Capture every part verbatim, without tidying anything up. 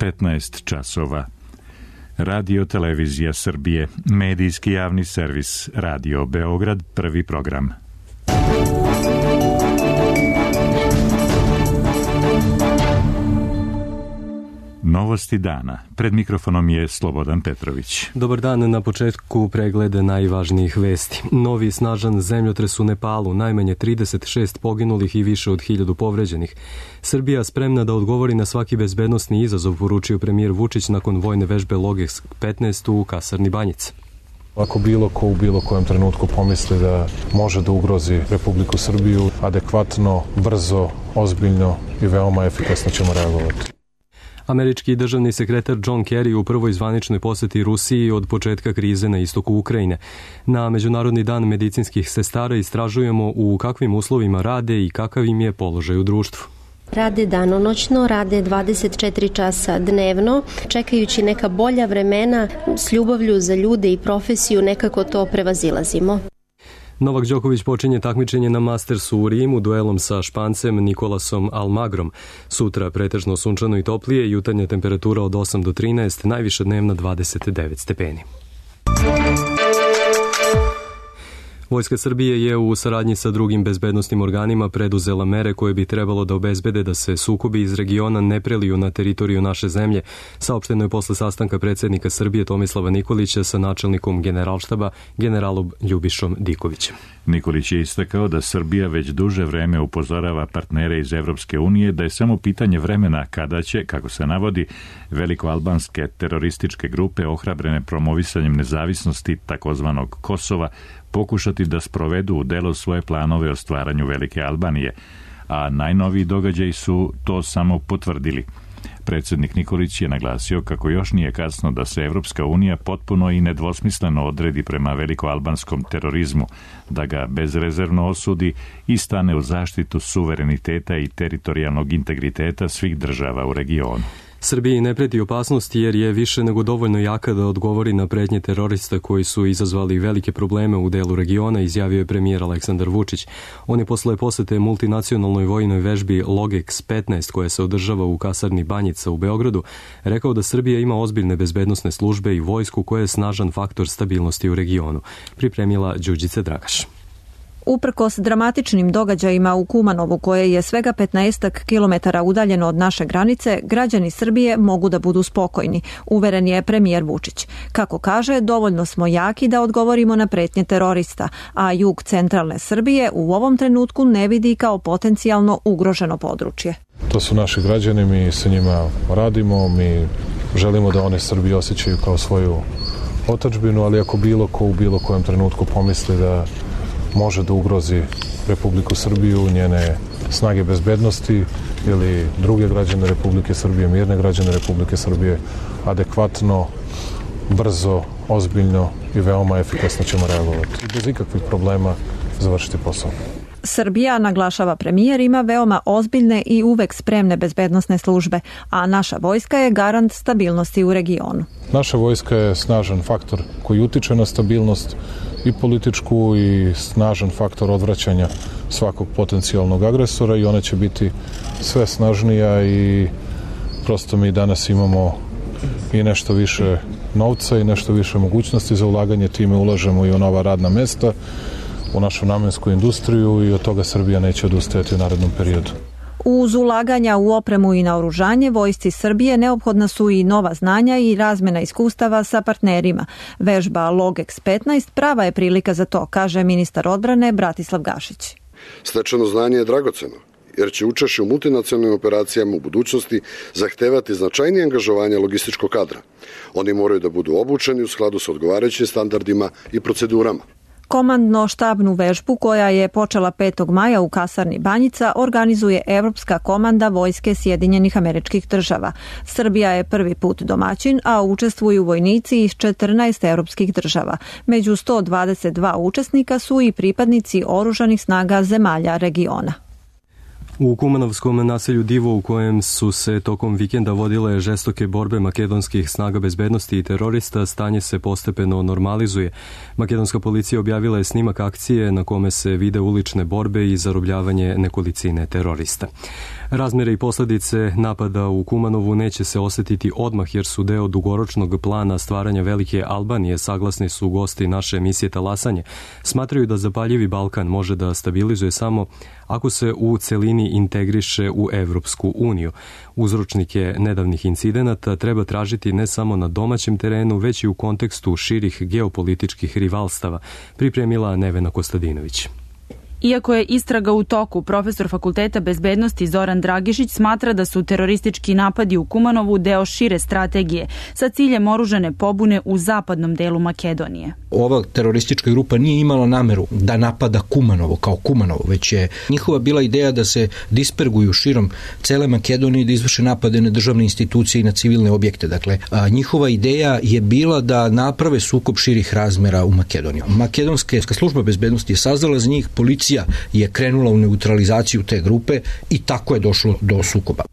petnaest časova. Radio Televizija Srbije, medijski javni servis, Radio Beograd, prvi program. Novosti dana. Pred mikrofonom je Slobodan Petrović. Dobar dan, na početku preglede najvažnijih vesti. Novi snažan zemljotres u Nepalu, najmanje trideset šest poginulih i više od hiljadu povređenih. Srbija spremna da odgovori na svaki bezbednosni izazov, poručio premijer Vučić nakon vojne vežbe Logeks petnaest u kasarni Banjic. Ako bilo ko u bilo kojem trenutku pomisli da može da ugrozi Republiku Srbiju, adekvatno, brzo, ozbiljno i veoma efikasno ćemo reagovati. Američki državni sekretar John Kerry u prvoj zvaničnoj poseti Rusiji od početka krize na istoku Ukrajine. Na Međunarodni dan medicinskih sestara istražujemo u kakvim uslovima rade i kakav im je položaj u društvu. Rade danonoćno, rade dvadeset četiri časa dnevno, čekajući neka bolja vremena, s ljubavlju za ljude i profesiju nekako to prevazilazimo. Novak Đoković počinje takmičenje na Mastersu u Rimu duelom sa Špancem Nikolasom Almagrom. Sutra pretežno sunčano i toplije, jutarnja temperatura od osam do trinaest, najviša dnevna dvadeset devet stepeni. Vojska Srbije je u saradnji sa drugim bezbednosnim organima preduzela mere koje bi trebalo da obezbede da se sukobi iz regiona ne preliju na teritoriju naše zemlje, saopšteno je posle sastanka predsjednika Srbije Tomislava Nikolića sa načelnikom Generalštaba generalom Ljubišom Dikovićem. Nikolić je istakao da Srbija već duže vreme upozorava partnere iz Evropske unije da je samo pitanje vremena kada će, kako se navodi, velikoalbanske terorističke grupe ohrabrene promovisanjem nezavisnosti takozvanog Kosova pokušati da sprovedu u delo svoje planove o stvaranju Velike Albanije, a najnoviji događaji su to samo potvrdili. Predsjednik Nikolić je naglasio kako još nije kasno da se Evropska unija potpuno i nedvosmisleno odredi prema velikoalbanskom terorizmu, da ga bezrezervno osudi i stane u zaštitu suvereniteta i teritorijalnog integriteta svih država u regionu. Srbiji ne preti opasnost jer je više nego dovoljno jaka da odgovori na pretnje terorista koji su izazvali velike probleme u delu regiona, izjavio je premijer Aleksandar Vučić. On je posle posete multinacionalnoj vojnoj vežbi Logeks petnaest koja se održava u kasarni Banjica u Beogradu rekao da Srbija ima ozbiljne bezbednosne službe i vojsku koja je snažan faktor stabilnosti u regionu. Pripremila Đurđica Dragaš. Uprkos dramatičnim događajima u Kumanovu, koje je svega petnaestak kilometara udaljeno od naše granice, građani Srbije mogu da budu spokojni, uveren je premijer Vučić. Kako kaže, dovoljno smo jaki da odgovorimo na pretnje terorista, a jug centralne Srbije u ovom trenutku ne vidi kao potencijalno ugroženo područje. To su naši građani, mi sa njima radimo, mi želimo da one Srbiju osjećaju kao svoju otadžbinu, ali ako bilo ko u bilo kojem trenutku pomisli da može da ugrozi Republiku Srbiju, njene snage bezbednosti ili druge građane Republike Srbije, mirne građane Republike Srbije, adekvatno, brzo, ozbiljno i veoma efikasno ćemo reagovati. Bez ikakvih problema završiti posao. Srbija, naglašava premijer, ima veoma ozbiljne i uvek spremne bezbednosne službe, a naša vojska je garant stabilnosti u regionu. Naša vojska je snažan faktor koji utiče na stabilnost i političku i snažan faktor odvraćanja svakog potencijalnog agresora i ona će biti sve snažnija i prosto mi danas imamo i nešto više novca i nešto više mogućnosti za ulaganje, time ulažemo i u nova radna mesta, u našu namensku industriju i od toga Srbija neće odustajati u narednom periodu. Uz ulaganja u opremu i naoružanje, vojsci Srbije neophodna su i nova znanja i razmena iskustava sa partnerima. Vežba Logeks petnaest prava je prilika za to, kaže ministar odbrane Bratislav Gašić. Stečeno znanje je dragoceno, jer će učešće u multinacionalnim operacijama u budućnosti zahtevati značajnije angažovanje logističkog kadra. Oni moraju da budu obučeni u skladu sa odgovarajućim standardima i procedurama. Komandno-štabnu vežbu koja je počela petog maja u kasarni Banjica organizuje Evropska komanda vojske Sjedinjenih Američkih Država. Srbija je prvi put domaćin, a učestvuju vojnici iz četrnaest evropskih država. Među sto dvadeset dva učesnika su i pripadnici oružanih snaga zemalja regiona. U kumanovskom naselju Divo, u kojem su se tokom vikenda vodile žestoke borbe makedonskih snaga bezbednosti i terorista, stanje se postepeno normalizuje. Makedonska policija objavila je snimak akcije na kome se vide ulične borbe i zarobljavanje nekolicine terorista. Razmere i posledice napada u Kumanovu neće se osetiti odmah jer su deo dugoročnog plana stvaranja velike Albanije, saglasni su gosti naše emisije Talasanje. Smatraju da zapaljivi Balkan može da stabilizuje samo ako se u celini integriše u Evropsku uniju. Uzročnike nedavnih incidenata treba tražiti ne samo na domaćem terenu, već i u kontekstu širih geopolitičkih rivalstava, pripremila Nevena Kostadinović. Iako je istraga u toku, profesor Fakulteta bezbednosti Zoran Dragišić smatra da su teroristički napadi u Kumanovu deo šire strategije sa ciljem oružane pobune u zapadnom delu Makedonije. Ova teroristička grupa nije imala nameru da napada Kumanovo kao Kumanovo, već je njihova bila ideja da se disperguju širom cele Makedonije i da izvrše napade na državne institucije i na civilne objekte. Dakle, a, njihova ideja je bila da naprave sukob širih razmera u Makedoniju. Makedonska služba bezbednosti je saznala za njih, policija je krenula u neutralizaciju te grupe i tako je došlo do sukoba.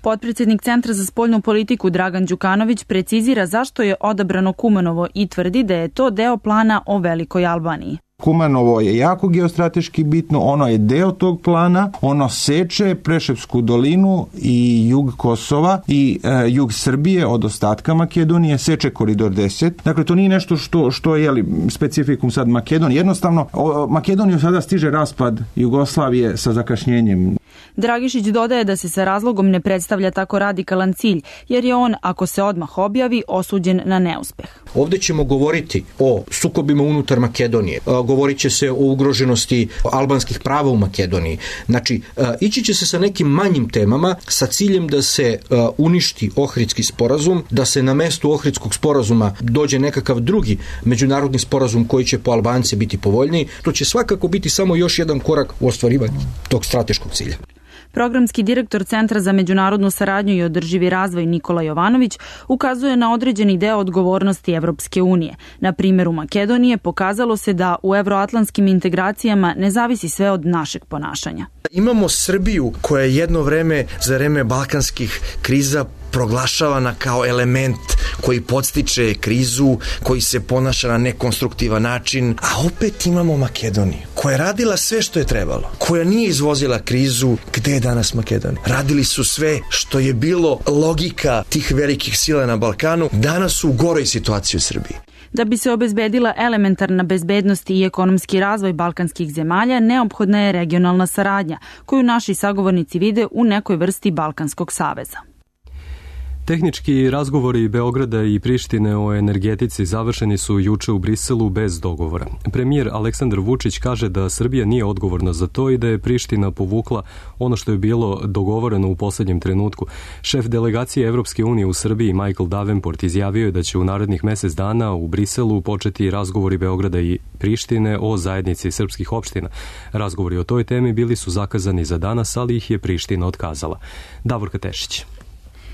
Potpredsjednik Centra za spoljnu politiku Dragan Đukanović precizira zašto je odabrano Kumanovo i tvrdi da je to deo plana o Velikoj Albaniji. Kumanovo je jako geostrateški bitno, ono je deo tog plana, ono seče Preševsku dolinu i jug Kosova i e, jug Srbije od ostatka Makedonije, seče koridor deset. Dakle, to nije nešto što, što je jeli, specifikum sad Makedonije. Jednostavno, o, Makedoniju sada stiže raspad Jugoslavije sa zakašnjenjem. Dragišić dodaje da se sa razlogom ne predstavlja tako radikalan cilj, jer je on, ako se odmah objavi, osuđen na neuspeh. Ovdje ćemo govoriti o sukobima unutar Makedonije, govorit će se o ugroženosti albanskih prava u Makedoniji. Znači, ići će se sa nekim manjim temama sa ciljem da se uništi Ohridski sporazum, da se na mestu Ohridskog sporazuma dođe nekakav drugi međunarodni sporazum koji će po Albance biti povoljniji. To će svakako biti samo još jedan korak u ostvarivanju tog strateškog cilja. Programski direktor Centra za međunarodnu saradnju i održivi razvoj Nikola Jovanović ukazuje na određeni deo odgovornosti Evropske unije. Na primjeru Makedonije pokazalo se da u evroatlantskim integracijama ne zavisi sve od našeg ponašanja. Imamo Srbiju koja je jedno vreme za vreme balkanskih kriza proglašavana kao element koji podstiče krizu, koji se ponaša na nekonstruktivan način, a opet imamo Makedoniju koja je radila sve što je trebalo, koja nije izvozila krizu. Gde je danas Makedonija? Radili su sve što je bilo logika tih velikih sila na Balkanu, danas su u goroj situaciji u Srbiji. Da bi se obezbedila elementarna bezbednost i ekonomski razvoj balkanskih zemalja, neophodna je regionalna saradnja, koju naši sagovornici vide u nekoj vrsti Balkanskog saveza. Tehnički razgovori Beograda i Prištine o energetici završeni su juče u Briselu bez dogovora. Premijer Aleksandar Vučić kaže da Srbija nije odgovorna za to i da je Priština povukla ono što je bilo dogovoreno u poslednjem trenutku. Šef delegacije Evropske unije u Srbiji Michael Davenport izjavio je da će u narednih mesec dana u Briselu početi razgovori Beograda i Prištine o zajednici srpskih opština. Razgovori o toj temi bili su zakazani za danas, ali ih je Priština otkazala. Davorka Tešić.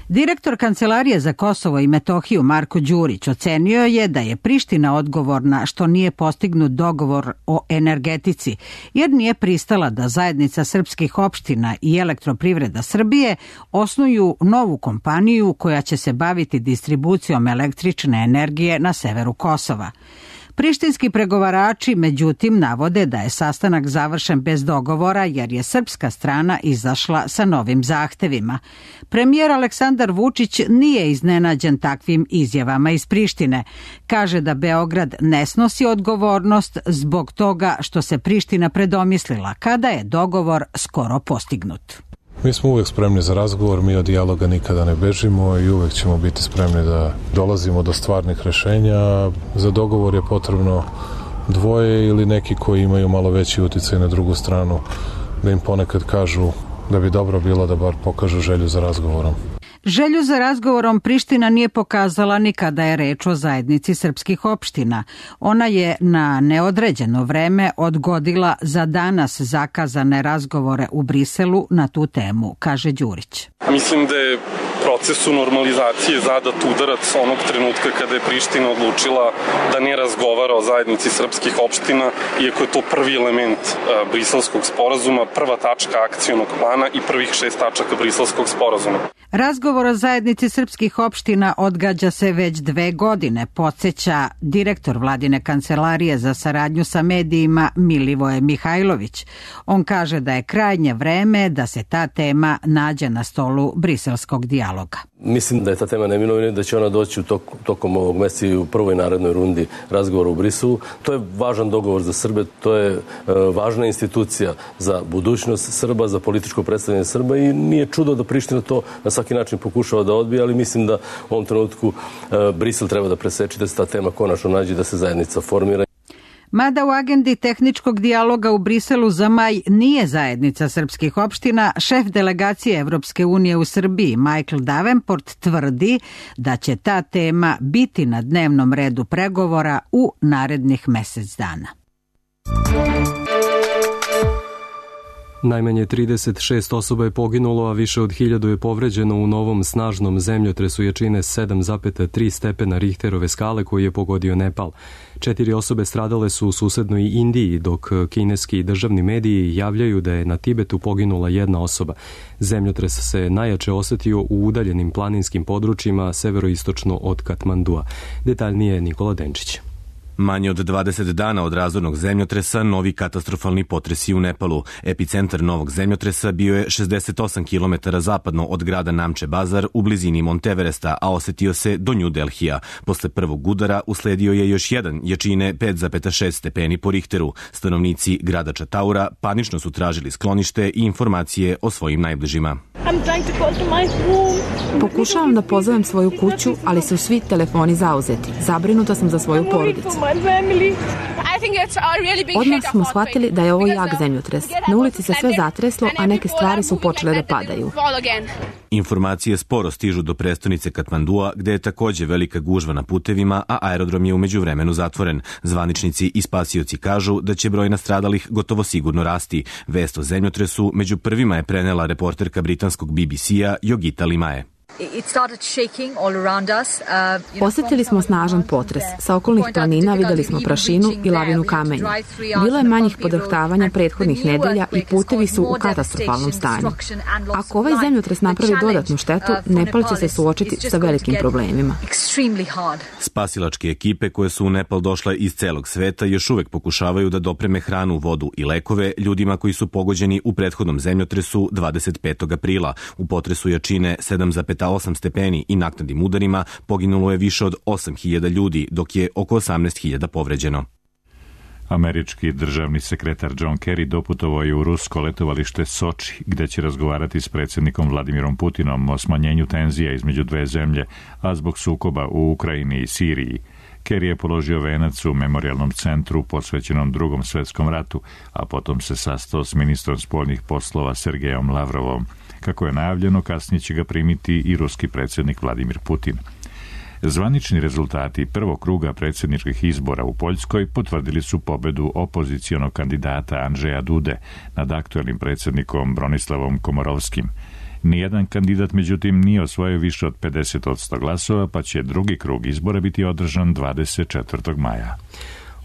Direktor Kancelarije za Kosovo i Metohiju Marko Đurić ocenio je da je Priština odgovorna što nije postignut dogovor o energetici, jer nije pristala da zajednica srpskih opština i Elektroprivreda Srbije osnuju novu kompaniju koja će se baviti distribucijom električne energije na severu Kosova. Prištinski pregovarači, međutim, navode da je sastanak završen bez dogovora jer je srpska strana izašla sa novim zahtevima. Premijer Aleksandar Vučić nije iznenađen takvim izjavama iz Prištine. Kaže da Beograd ne snosi odgovornost zbog toga što se Priština predomislila kada je dogovor skoro postignut. Mi smo uvek spremni za razgovor, mi od dijaloga nikada ne bežimo i uvek ćemo biti spremni da dolazimo do stvarnih rešenja. Za dogovor je potrebno dvoje ili neki koji imaju malo veći uticaj na drugu stranu, da im ponekad kažu da bi dobro bilo da bar pokažu želju za razgovorom. Želju za razgovorom Priština nije pokazala ni kada je reč o zajednici srpskih opština. Ona je na neodređeno vreme odgodila za danas zakazane razgovore u Briselu na tu temu, kaže Đurić. Mislim da je procesu normalizacije zadat udarac onog trenutka kada je Priština odlučila da ne razgovara o zajednici srpskih opština, iako je to prvi element Briselskog sporazuma, prva tačka akcionog plana i prvih šest tačaka Briselskog sporazuma. Razgovor o zajednici srpskih opština odgađa se već dve godine, podsjeća direktor Vladine kancelarije za saradnju sa medijima Milivoje Mihajlović. On kaže da je krajnje vreme da se ta tema nađe na stolu briselskog dijaloga. Mislim da je ta tema neminovna i da će ona doći u tok, tokom ovog meseca i u prvoj narednoj rundi razgovora u Briselu. To je važan dogovor za Srbe, to je e, važna institucija za budućnost Srba, za političko predstavljanje Srba i nije čudo da Priština to na svaki način pokušava da odbije, ali mislim da u ovom trenutku e, Brisel treba da preseči, da se ta tema konačno nađe, da se zajednica formira. Mada u agendi tehničkog dijaloga u Briselu za maj nije zajednica srpskih opština, šef delegacije Evropske unije u Srbiji Michael Davenport tvrdi da će ta tema biti na dnevnom redu pregovora u narednih mesec dana. Najmanje trideset šest osoba je poginulo, a više od hiljadu je povređeno u novom snažnom zemljotresu jačine sedam zarez tri stepena Richterove skale koji je pogodio Nepal. Četiri osobe stradale su u susednoj Indiji, dok kineski državni mediji javljaju da je na Tibetu poginula jedna osoba. Zemljotres se najjače osetio u udaljenim planinskim područjima severoistočno od Katmandua. Detaljnije Nikola Denčić. Manje od dvadeset dana od razornog zemljotresa, novi katastrofalni potresi u Nepalu. Epicentar novog zemljotresa bio je šezdeset osam kilometara zapadno od grada Namche Bazar u blizini Monteveresta, a osetio se do New Delhija. Posle prvog udara usledio je još jedan jačine pet zarez šest stepeni po Richteru. Stanovnici grada Čataura panično su tražili sklonište i informacije o svojim najbližima. Pokušavam da pozovem svoju kuću, ali su svi telefoni zauzeti. Zabrinuta sam za svoju porodicu. Odmah smo shvatili da je ovo jak zemljotres. Na ulici se sve zatreslo, a neke stvari su počele da padaju. Informacije sporo stižu do prestonice Katmandua, gde je takođe velika gužva na putevima, a aerodrom je u međuvremenu zatvoren. Zvaničnici i spasioci kažu da će broj nastradalih gotovo sigurno rasti. Vest o zemljotresu među prvima je prenela reporterka britanskog B B C-a Yogita Limaye. Osetili smo snažan potres. Sa okolnih planina videli smo prašinu i lavinu kamenja. Bilo je manjih podrhtavanja prethodnih nedelja i putevi su u katastrofalnom stanju. Ako ovaj zemljotres napravi dodatnu štetu, Nepal će se suočiti sa velikim problemima. Spasilačke ekipe koje su u Nepal došle iz celog sveta još uvek pokušavaju da dopreme hranu, vodu i lekove ljudima koji su pogođeni u prethodnom zemljotresu dvadeset petog aprila. U potresu jačine sedam zarez osam stepeni i naknadnim udarima poginulo je više od osam hiljada ljudi, dok je oko osamnaest hiljada povređeno. Američki državni sekretar John Kerry doputovao je u rusko letovalište Soči, gde će razgovarati s predsjednikom Vladimirom Putinom o smanjenju tenzija između dve zemlje, a zbog sukoba u Ukrajini i Siriji. Kerry je položio venac u memorijalnom centru posvećenom Drugom svetskom ratu, a potom se sastao s ministrom spoljnih poslova Sergejom Lavrovom. Kako je najavljeno, kasnije će ga primiti i ruski predsjednik Vladimir Putin. Zvanični rezultati prvog kruga predsjedničkih izbora u Poljskoj potvrdili su pobedu opozicijonog kandidata Andžeja Dude nad aktuelnim predsjednikom Bronislavom Komorovskim. Nijedan kandidat, međutim, nije osvojio više od pedeset posto glasova, pa će drugi krug izbora biti održan dvadeset četvrtog maja.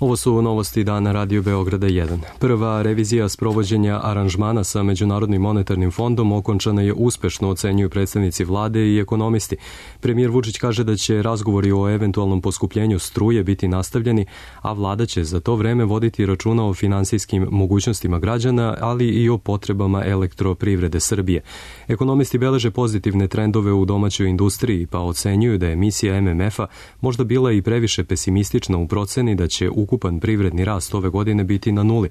Ovo su novosti dana Radio Beograda jedan. Prva revizija sprovođenja aranžmana sa Međunarodnim monetarnim fondom okončana je uspešno, ocenjuju predstavnici vlade i ekonomisti. Premijer Vučić kaže da će razgovori o eventualnom poskupljenju struje biti nastavljeni, a vlada će za to vreme voditi računa o finansijskim mogućnostima građana, ali i o potrebama elektroprivrede Srbije. Ekonomisti beleže pozitivne trendove u domaćoj industriji, pa ocenjuju da je misija M M F-a možda bila i previše pesimistična u proceni da će ukupan privredni rast ove godine biti na nuli,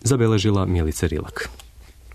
zabeležila Milica Rilak.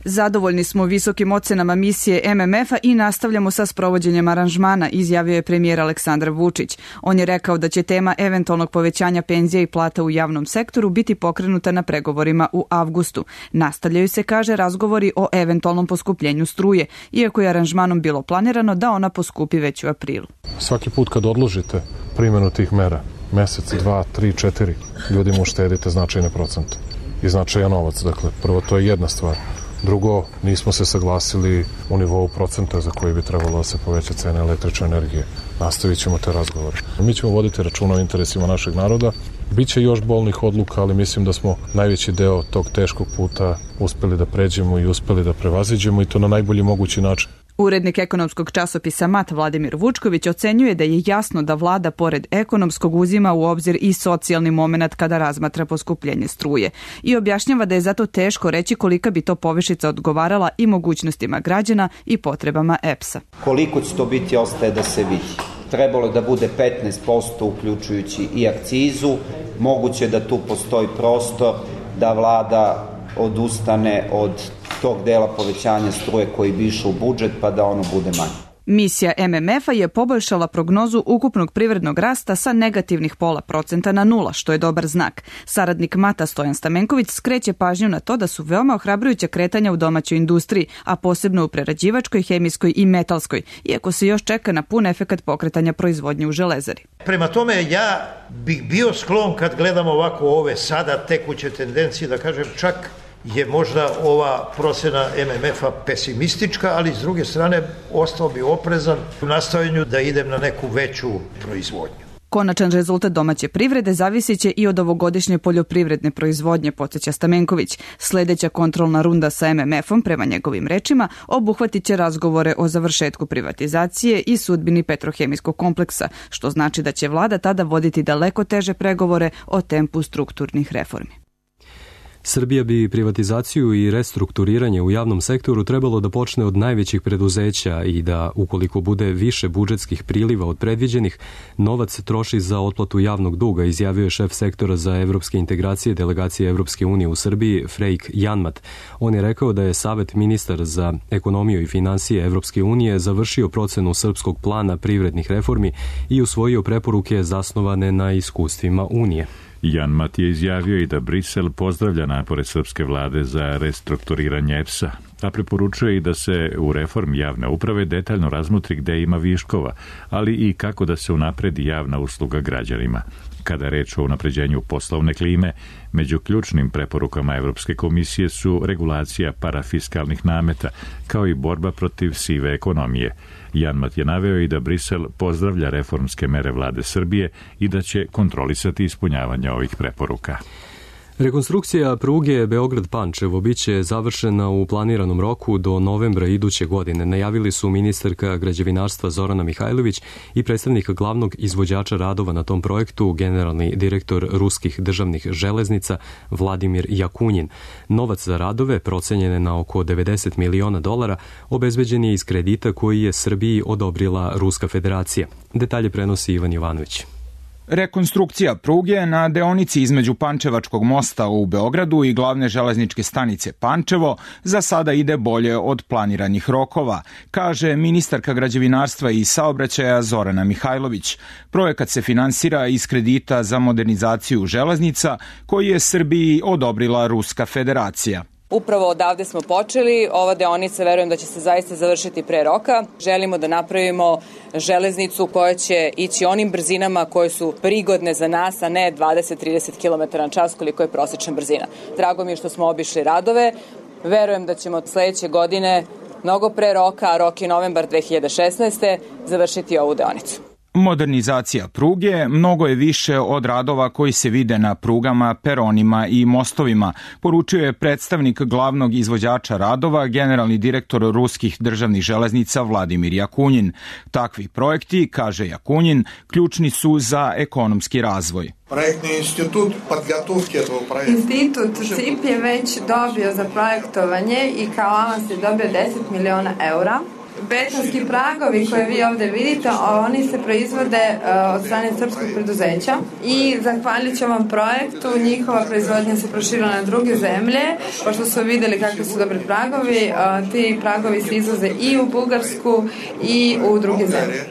Zadovoljni smo visokim ocenama misije M M F-a i nastavljamo sa sprovođenjem aranžmana, izjavio je premijer Aleksandar Vučić. On je rekao da će tema eventualnog povećanja penzija i plata u javnom sektoru biti pokrenuta na pregovorima u avgustu. Nastavljaju se, kaže, razgovori o eventualnom poskupljenju struje, iako je aranžmanom bilo planirano da ona poskupi već u aprilu. Svaki put kad odložite primjenu tih mera, mesec, dva, tri, četiri, ljudima uštedite značajne procente i značajan novac. Dakle, prvo to je jedna stvar. Drugo, nismo se saglasili u nivou procenta za koji bi trebalo da se poveća cena električne energije. Nastavit ćemo te razgovore. Mi ćemo voditi računa o interesima našeg naroda. Biće još bolnih odluka, ali mislim da smo najveći deo tog teškog puta uspeli da pređemo i uspeli da prevaziđemo i to na najbolji mogući način. Urednik ekonomskog časopisa Mat Vladimir Vučković ocenjuje da je jasno da vlada pored ekonomskog uzima u obzir i socijalni moment kada razmatra poskupljenje struje i objašnjava da je zato teško reći kolika bi to povišica odgovarala i mogućnostima građana i potrebama E P S-a. Koliko će to biti ostaje da se vidi. Trebalo je da bude petnaest posto uključujući i akcizu. Moguće da tu postoji prostor da vlada odustane od tog dela povećanja struje koji bi išao u budžet pa da ono bude manje. Misija M M F-a je poboljšala prognozu ukupnog privrednog rasta sa negativnih pola procenta na nula, što je dobar znak. Saradnik Mata Stojan Stamenković skreće pažnju na to da su veoma ohrabrujuća kretanja u domaćoj industriji, a posebno u prerađivačkoj, hemijskoj i metalskoj, iako se još čeka na pun efekat pokretanja proizvodnje u železari. Prema tome, ja bih bio sklon kad gledamo ovako ove sada tekuće tendencije, da kažem čak je možda ova procena M M F-a pesimistička, ali s druge strane ostao bi oprezan u nastojanju da idem na neku veću proizvodnju. Konačan rezultat domaće privrede zavisit će i od ovogodišnje poljoprivredne proizvodnje, podsjeća Stamenković. Sledeća kontrolna runda sa M M F-om, prema njegovim rečima, obuhvatit će razgovore o završetku privatizacije i sudbini petrohemijskog kompleksa, što znači da će vlada tada voditi daleko teže pregovore o tempu strukturnih reformi. Srbija bi privatizaciju i restrukturiranje u javnom sektoru trebalo da počne od najvećih preduzeća i da, ukoliko bude više budžetskih priliva od predviđenih, novac troši za otplatu javnog duga, izjavio je šef sektora za evropske integracije delegacije Evropske unije u Srbiji, Frejk Janmat. On je rekao da je Savet ministar za ekonomiju i finansije Evropske unije završio procenu srpskog plana privrednih reformi i usvojio preporuke zasnovane na iskustvima Unije. Janmat je izjavio i da Brisel pozdravlja napore srpske vlade za restrukturiranje E P S-a, a preporučuje i da se u reformi javne uprave detaljno razmotri gde ima viškova, ali i kako da se unapredi javna usluga građanima. Kada je reč o unapređenju poslovne klime, među ključnim preporukama Evropske komisije su regulacija parafiskalnih nameta, kao i borba protiv sive ekonomije. Janmat je naveo i da Brisel pozdravlja reformske mere vlade Srbije i da će kontrolisati ispunjavanje ovih preporuka. Rekonstrukcija pruge Beograd-Pančevo biće završena u planiranom roku do novembra iduće godine, najavili su ministarka građevinarstva Zorana Mihajlović i predstavnik glavnog izvođača radova na tom projektu, generalni direktor ruskih državnih železnica Vladimir Jakunjin. Novac za radove, procenjen je na oko devedeset miliona dolara, obezbeđen je iz kredita koji je Srbiji odobrila Ruska federacija. Detalje prenosi Ivan Jovanović. Rekonstrukcija pruge na deonici između Pančevačkog mosta u Beogradu i glavne železničke stanice Pančevo za sada ide bolje od planiranih rokova, kaže ministarka građevinarstva i saobraćaja Zorana Mihajlović. Projekat se finansira iz kredita za modernizaciju železnica koji je Srbiji odobrila Ruska federacija. Upravo odavde smo počeli, ova deonica verujem da će se zaista završiti pre roka. Želimo da napravimo železnicu koja će ići onim brzinama koje su prigodne za nas, a ne dvadeset do trideset kilometara na čas koliko je prosječna brzina. Drago mi je što smo obišli radove, verujem da ćemo od sledeće godine mnogo pre roka, a rok je novembar dve hiljade šesnaeste. završiti ovu deonicu. Modernizacija pruge mnogo je više od radova koji se vide na prugama, peronima i mostovima, poručio je predstavnik glavnog izvođača radova, generalni direktor ruskih državnih železnica Vladimir Jakunjin. Takvi projekti, kaže Jakunjin, ključni su za ekonomski razvoj. Projektni institut podgotovke этого projekta. Institut C I P je već dobio za projektovanje i kao avans je dobio deset miliona eura. Betonski pragovi koje vi ovde vidite, oni se proizvode od strane srpskog preduzeća i zahvaljujući ovom projektu njihova proizvodnja se proširila na druge zemlje, pošto su videli kakvi su dobri pragovi, ti pragovi se izvoze i u Bugarsku i u druge zemlje.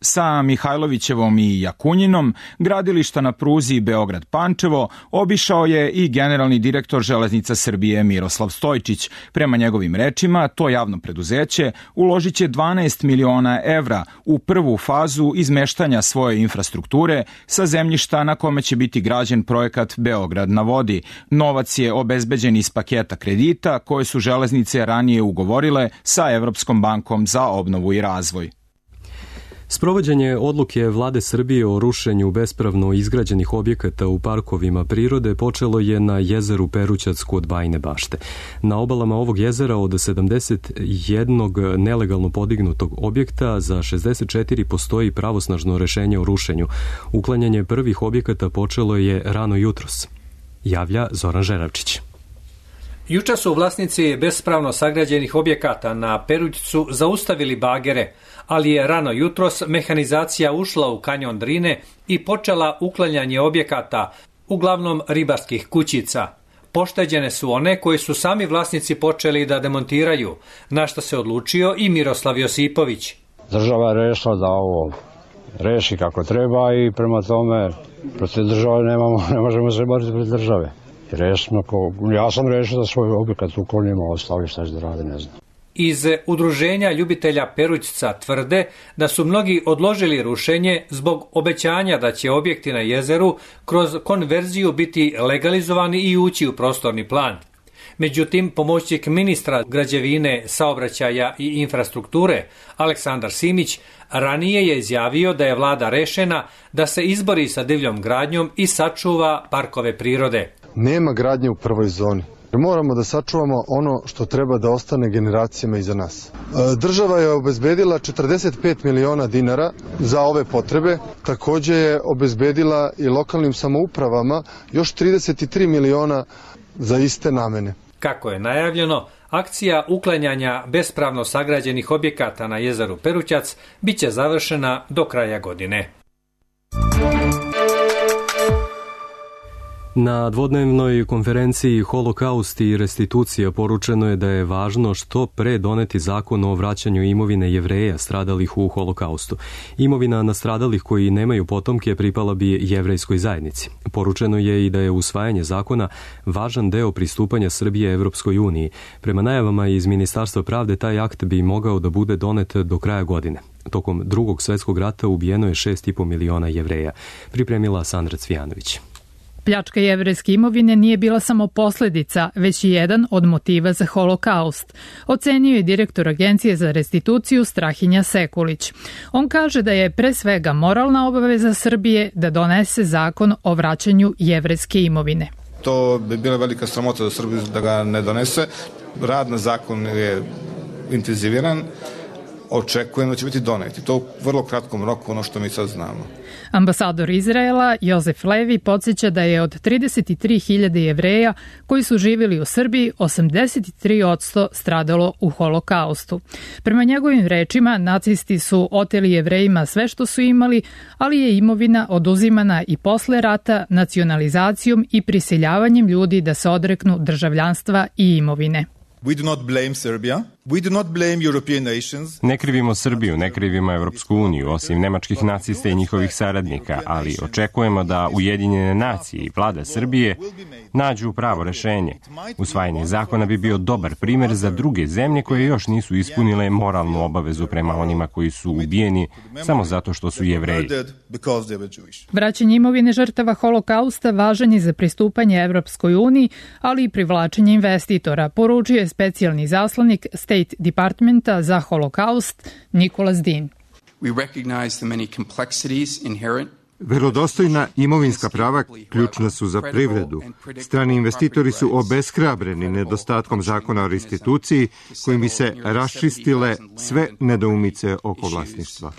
Sa Mihajlovićevom i Jakunjinom gradilišta na pruzi Beograd-Pančevo obišao je i generalni direktor Železnica Srbije Miroslav Stojčić. Prema njegovim rečima, to javno preduzeće uložit će dvanaest miliona evra u prvu fazu izmeštanja svoje infrastrukture sa zemljišta na kome će biti građen projekat Beograd na vodi. Novac je obezbeđen iz paketa kredita koje su železnice ranije ugovorile sa Evropskom bankom za obnovu i razvoj. Sprovođenje odluke Vlade Srbije o rušenju bespravno izgrađenih objekata u parkovima prirode počelo je na jezeru Perućac kod Bajine Bašte. Na obalama ovog jezera od sedamdeset jednog nelegalno podignutog objekta za šezdeset četiri postoji pravosnažno rešenje o rušenju. Uklanjanje prvih objekata počelo je rano jutros. Javlja Zoran Žeravčić. Juče su vlasnici bespravno sagrađenih objekata na Perućcu zaustavili bagere, ali je rano jutros mehanizacija ušla u kanjon Drine i počela uklanjanje objekata, uglavnom ribarskih kućica. Pošteđene su one koji su sami vlasnici počeli da demontiraju, na što se odlučio i Miroslav Josipović. Država je rešila da ovo reši kako treba i prema tome protiv države nemamo, ne možemo se boriti protiv države. Rešimo, ja sam rešio da svoj objekat uklonimo, ostali šta će da rade, ne znam. Iz udruženja ljubitelja Perućca tvrde da su mnogi odložili rušenje zbog obećanja da će objekti na jezeru kroz konverziju biti legalizovani i ući u prostorni plan. Međutim, pomoćnik ministra građevine, saobraćaja i infrastrukture Aleksandar Simić ranije je izjavio da je vlada rešena da se izbori sa divljom gradnjom i sačuva parkove prirode. Nema gradnje u prvoj zoni. Moramo da sačuvamo ono što treba da ostane generacijama iza nas. Država je obezbedila četrdeset pet miliona dinara za ove potrebe. Takođe je obezbedila i lokalnim samoupravama još trideset tri miliona za iste namene. Kako je najavljeno, akcija uklanjanja bespravno sagrađenih objekata na jezeru Perućac biće završena do kraja godine. Na dvodnevnoj konferenciji Holokaust i restitucija poručeno je da je važno što pre doneti zakon o vraćanju imovine Jevreja stradalih u Holokaustu. Imovina nastradalih koji nemaju potomke pripala bi jevrejskoj zajednici. Poručeno je i da je usvajanje zakona važan deo pristupanja Srbije Evropskoj uniji. Prema najavama iz Ministarstva pravde taj akt bi mogao da bude donet do kraja godine. Tokom drugog svetskog rata ubijeno je šest i po miliona Jevreja, pripremila Sandra Cvijanović. Pljačka jevrejske imovine nije bila samo posledica, već i jedan od motiva za Holokaust, ocenio je direktor Agencije za restituciju Strahinja Sekulić. On kaže da je pre svega moralna obaveza Srbije da donese zakon o vraćanju jevrejske imovine. To bi bila velika sramota za Srbiju da ga ne donese. Rad na zakon je intenziviran. Očekujem da će biti doneti. To u vrlo kratkom roku, ono što mi sad znamo. Ambasador Izraela Jozef Levi podsjeća da je od trideset tri hiljade Jevreja koji su živjeli u Srbiji, osamdeset tri posto stradalo u Holokaustu. Prema njegovim rečima, nacisti su oteli Jevrejima sve što su imali, ali je imovina oduzimana i posle rata nacionalizacijom i prisiljavanjem ljudi da se odreknu državljanstva i imovine. We do not blame Serbia. We do not blame European nations. Ne krivimo Srbiju, ne krivimo Evropsku uniju, osim nemačkih nacista i njihovih saradnika, ali očekujemo da Ujedinjene nacije i vlada Srbije nađu pravo rešenje. Usvajanje zakona bi bio dobar primer za druge zemlje koje još nisu ispunile moralnu obavezu prema onima koji su ubijeni samo zato što su Jevreji. Vraćanje imovine žrtava Holokausta važan je za pristupanje Evropskoj uniji, ali i privlačenje investitora, poručio je specijalni zaslanik State Departmenta za Holokaust Nikolas Din. We recognize the many complexities inherent Verodostojna imovinska prava ključna su za privredu. Strani investitori su obeshrabreni nedostatkom zakona o restituciji kojim bi se raščistile sve nedoumice oko vlasništva.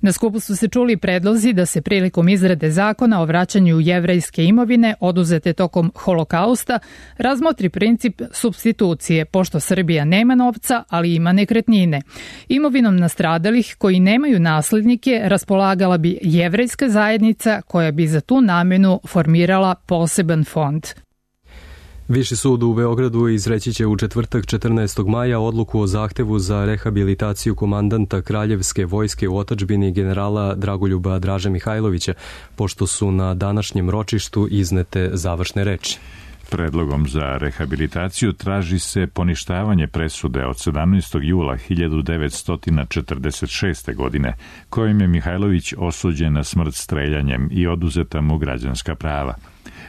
Na skupu su se čuli predlozi da se prilikom izrade zakona o vraćanju jevrejske imovine oduzete tokom holokausta razmotri princip supstitucije, pošto Srbija nema novca, ali ima nekretnine. Imovinom nastradalih koji nemaju naslednike raspolagala bi jevrejska zajednica koja bi za tu namenu formirala poseban fond. Viši sud u Beogradu izreći će u četvrtak četrnaestog maja odluku o zahtevu za rehabilitaciju komandanta Kraljevske vojske u otadžbini generala Dragoljuba Draže Mihajlovića, pošto su na današnjem ročištu iznete završne reči. Predlogom za rehabilitaciju traži se poništavanje presude od sedamnaestog jula hiljadu devetsto četrdeset šeste. godine, kojim je Mihajlović osuđen na smrt streljanjem i oduzeta mu građanska prava.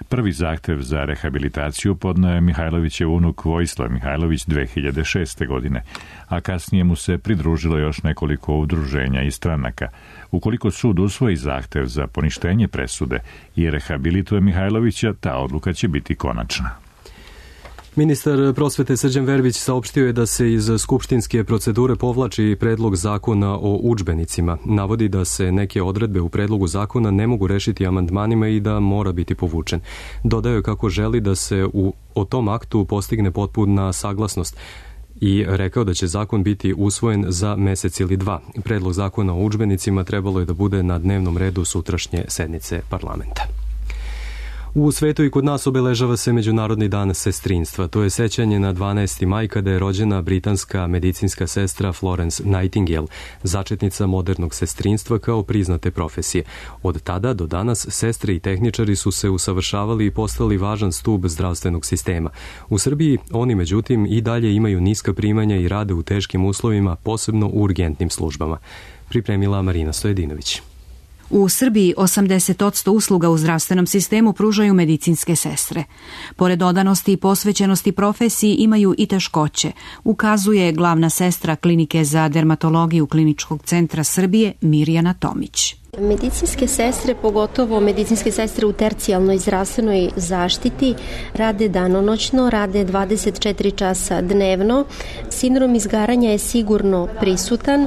Prvi zahtev za rehabilitaciju podneo je Mihajlovićev unuk Vojislav Mihajlović dve hiljade šeste. godine, a kasnije mu se pridružilo još nekoliko udruženja i stranaka. Ukoliko sud usvoji zahtev za poništenje presude i rehabilituje Mihajlovića, ta odluka će biti konačna. Ministar prosvete Srđan Verbić saopštio je da se iz skupštinske procedure povlači predlog zakona o udžbenicima. Navodi da se neke odredbe u predlogu zakona ne mogu rešiti amandmanima i da mora biti povučen. Dodao je kako želi da se u, o tom aktu postigne potpuna saglasnost i rekao da će zakon biti usvojen za mesec ili dva. Predlog zakona o udžbenicima trebalo je da bude na dnevnom redu sutrašnje sednice parlamenta. U svetu i kod nas obeležava se Međunarodni dan sestrinstva. To je sećanje na dvanaesti maj kada je rođena britanska medicinska sestra Florence Nightingale, začetnica modernog sestrinstva kao priznate profesije. Od tada do danas sestre i tehničari su se usavršavali i postali važan stub zdravstvenog sistema. U Srbiji oni međutim i dalje imaju niska primanja i rade u teškim uslovima, posebno u urgentnim službama. Pripremila Marina Stojedinović. U Srbiji osamdeset posto usluga u zdravstvenom sistemu pružaju medicinske sestre. Pored odanosti i posvećenosti profesiji imaju i teškoće, ukazuje glavna sestra Klinike za dermatologiju Kliničkog centra Srbije Mirjana Tomić. Medicinske sestre, pogotovo medicinske sestre u tercijalnoj zdravstvenoj zaštiti, rade danonoćno, rade dvadeset četiri časa dnevno. Sindrom izgaranja je sigurno prisutan,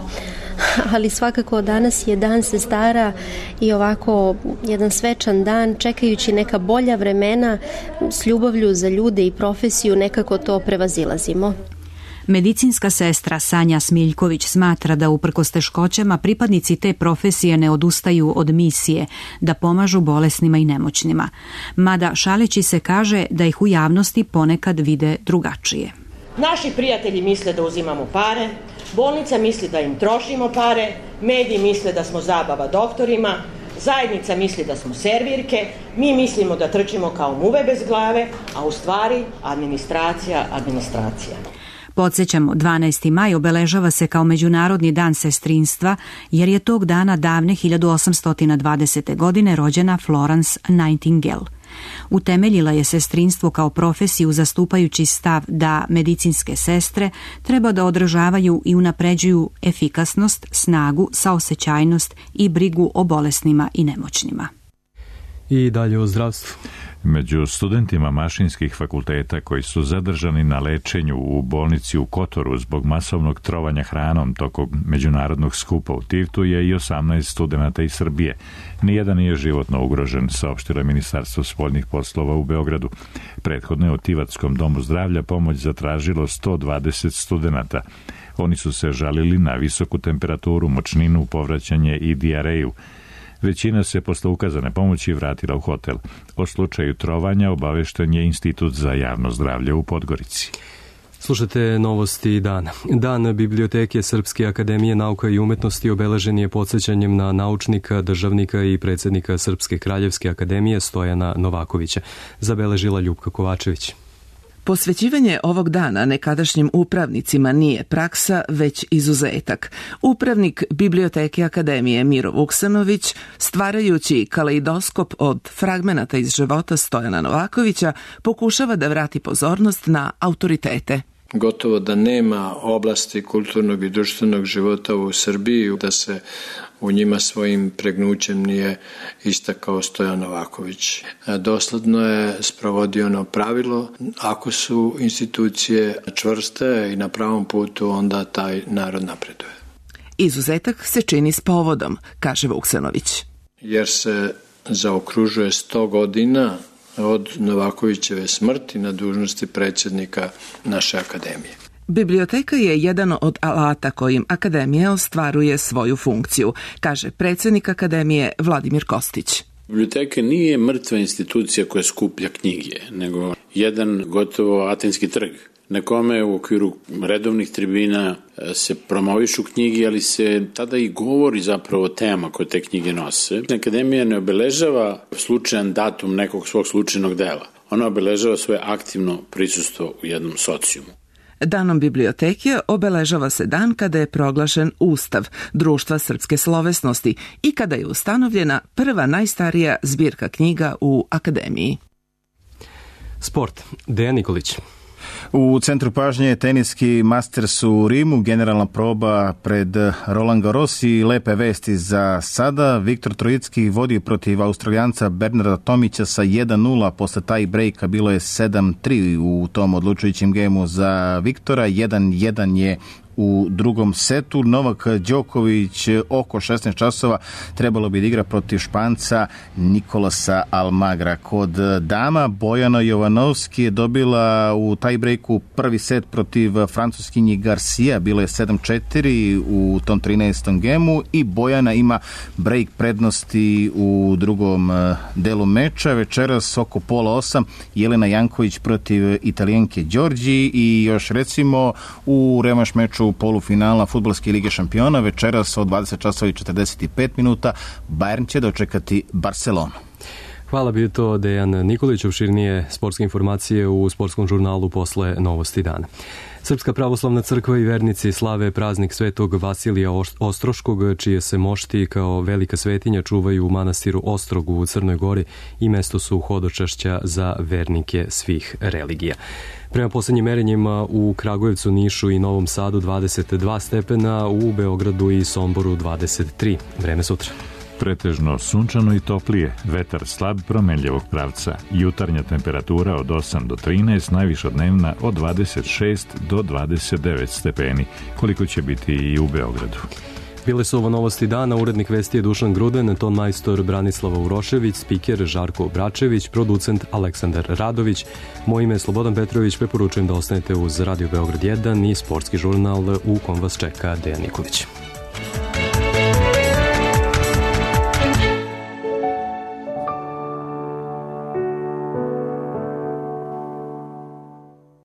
ali svakako danas je dan sestara i ovako jedan svečan dan, čekajući neka bolja vremena, s ljubavlju za ljude i profesiju nekako to prevazilazimo. Medicinska sestra Sanja Smiljković smatra da uprkos teškoćama pripadnici te profesije ne odustaju od misije da pomažu bolesnima i nemoćnima. Mada šaleći se kaže da ih u javnosti ponekad vide drugačije. Naši prijatelji misle da uzimamo pare, bolnica misli da im trošimo pare, mediji misle da smo zabava doktorima, zajednica misli da smo servirke, mi mislimo da trčimo kao muve bez glave, a u stvari administracija, administracija. Podsjećamo, dvanaesti maj obeležava se kao Međunarodni dan sestrinstva, jer je tog dana davne hiljadu osamsto dvadesete. godine rođena Florence Nightingale. Utemeljila je sestrinstvo kao profesiju zastupajući stav da medicinske sestre treba da održavaju i unapređuju efikasnost, snagu, saosećajnost i brigu o bolesnima i nemoćnima. I dalje o zdravstvu. Među studentima mašinskih fakulteta koji su zadržani na lečenju u bolnici u Kotoru zbog masovnog trovanja hranom tokom međunarodnog skupa u Tivtu je i osamnaest studenata iz Srbije. Nijedan nije životno ugrožen, saopštilo je Ministarstvo spoljnih poslova u Beogradu. Prethodno je u Tivatskom domu zdravlja pomoć zatražilo sto dvadeset studenata. Oni su se žalili na visoku temperaturu, močninu, povraćanje i dijareju. Većina se posle ukazane pomoći vratila u hotel. O slučaju trovanja obavešten je Institut za javno zdravlje u Podgorici. Slušate novosti dana. Dan Biblioteke Srpske akademije nauka i umetnosti obeležen je podsjećanjem na naučnika, državnika i predsjednika Srpske kraljevske akademije Stojana Novakovića, zabeležila Ljupka Kovačević. Posvećivanje ovog dana nekadašnjim upravnicima nije praksa, već izuzetak. Upravnik Biblioteke Akademije Miro Vuksanović, stvarajući kaleidoskop od fragmenata iz života Stojana Novakovića, pokušava da vrati pozornost na autoritete. Gotovo da nema oblasti kulturnog i društvenog života u Srbiji da se u njima svojim pregnućem nije istakao Stojan Novaković. Dosledno je sprovodio ono pravilo, ako su institucije čvrste i na pravom putu, onda taj narod napreduje. Izuzetak se čini s povodom, kaže Vuksanović. Jer se zaokružuje sto godina od Novakovićeve smrti na dužnosti predsjednika naše akademije. Biblioteka je jedan od alata kojim akademija ostvaruje svoju funkciju, kaže predsjednik akademije Vladimir Kostić. Biblioteka nije mrtva institucija koja skuplja knjige, nego jedan gotovo atenski trg, na kome u okviru redovnih tribina se promovišu knjige, ali se tada i govori zapravo o tema koje te knjige nose. Akademija ne obeležava slučajan datum nekog svog slučajnog dela. Ona obeležava svoje aktivno prisustvo u jednom socijumu. Danom biblioteke obeležava se dan kada je proglašen Ustav Društva srpske slovesnosti i kada je ustanovljena prva najstarija zbirka knjiga u akademiji. Sport. Dejan Nikolić. U centru pažnje je teniski Masters u Rimu, generalna proba pred Roland Garros i lepe vesti za sada. Viktor Trojicki vodi protiv Australijanca Bernarda Tomića sa jedan nula, posle taj breaka bilo je sedam tri u tom odlučujućem gemu za Viktora, jedan jedan je u drugom setu. Novak Đoković oko šesnaest časova trebalo bi da igra protiv Španca Nikolasa Almagra. Kod dama Bojana Jovanovski je dobila u tiebreaku prvi set protiv Francuskinji Garcia, bilo je sedam četiri u tom trinaestom gemu i Bojana ima break prednosti u drugom delu meča. Večeras oko pola osam Jelena Janković protiv Italijanke Đorđi i još recimo u revanš meču polufinala Fudbalske lige šampiona večeras od dvadeset časova i četrdeset pet minuta Bayern će dočekati Barcelonu. Hvala, bio to Dejan Nikolić. Opširnije sportske informacije u sportskom žurnalu posle Novosti dana. Srpska pravoslavna crkva i vernici slave praznik svetog Vasilija Ostroškog, čije se mošti kao velika svetinja čuvaju u manastiru Ostrogu u Crnoj Gori i mesto su hodočašća za vernike svih religija. Prema poslednjim merenjima u Kragujevcu, Nišu i Novom Sadu dvadeset dva stepena, u Beogradu i Somboru dvadeset tri. Vreme sutra. Pretežno sunčano i toplije, vetar slab promenljivog pravca, jutarnja temperatura od osam do trinaest, najviša dnevna od dvadeset šest do dvadeset devet stepeni, koliko će biti i u Beogradu. Bile su ovo Novosti dana, urednik vesti je Dušan Gruden, ton majstor Branislava Urošević, spiker Žarko Bračević, producent Aleksandar Radović. Moje ime je Slobodan Petrović, preporučujem da ostanete uz Radio Beograd jedan i sportski žurnal u kom vas čeka Dejan Nikolić.